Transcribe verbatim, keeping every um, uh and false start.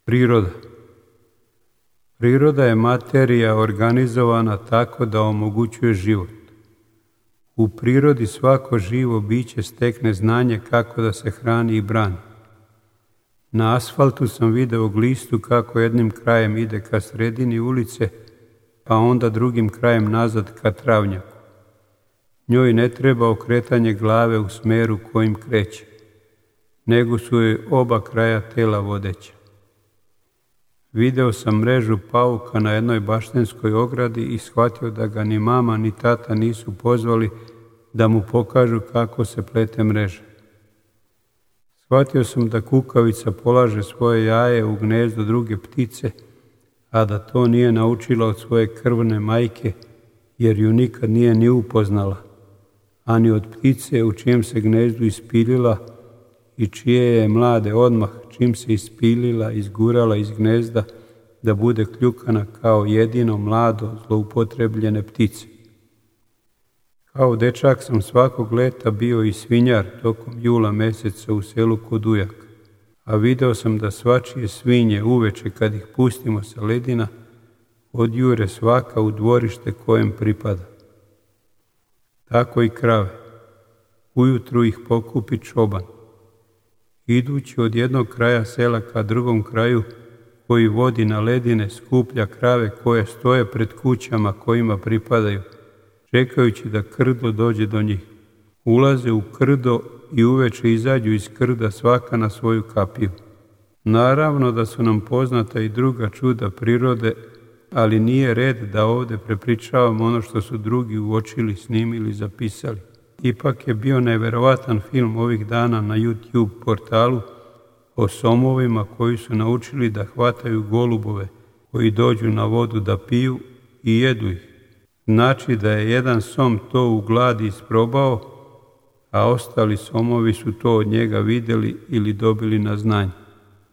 Priroda. Priroda je materija organizovana tako da omogućuje život. U prirodi svako živo biće stekne znanje kako da se hrani i brani. Na asfaltu sam video glistu kako jednim krajem ide ka sredini ulice, pa onda drugim krajem nazad ka travnjaku. Njoj ne treba okretanje glave u smeru kojim kreće, nego su joj oba kraja tela vodeća. Video sam mrežu pauka na jednoj baštenskoj ogradi i shvatio da ga ni mama ni tata nisu pozvali da mu pokažu kako se plete mreža. Shvatio sam da kukavica polaže svoje jaje u gnezdo druge ptice, a da to nije naučila od svoje krvne majke, jer ju nikad nije ni upoznala, ani od ptice u čijem se gnezdu ispilila i čije je mlade odmah, čim se ispilila, izgurala iz gnezda, da bude kljukana kao jedino mlado zloupotrebljene ptice. Kao dečak sam svakog leta bio i svinjar tokom jula meseca u selu kod ujaka, a video sam da svačije svinje uveče kad ih pustimo sa ledina, odjure svaka u dvorište kojem pripada. Tako i krave. Ujutru ih pokupi čoban. Idući od jednog kraja sela ka drugom kraju, koji vodi na ledine, skuplja krave koje stoje pred kućama kojima pripadaju, čekajući da krdo dođe do njih. Ulaze u krdo i uveče izađu iz krda svaka na svoju kapiju. Naravno da su nam poznata i druga čuda prirode, ali nije red da ovdje prepričavam ono što su drugi uočili, snimili, zapisali. Ipak je bio neverovatan film ovih dana na YouTube portalu o somovima koji su naučili da hvataju golubove koji dođu na vodu da piju i jedu ih. Znači da je jedan som to u gladi isprobao, a ostali somovi su to od njega vidjeli ili dobili na znanje.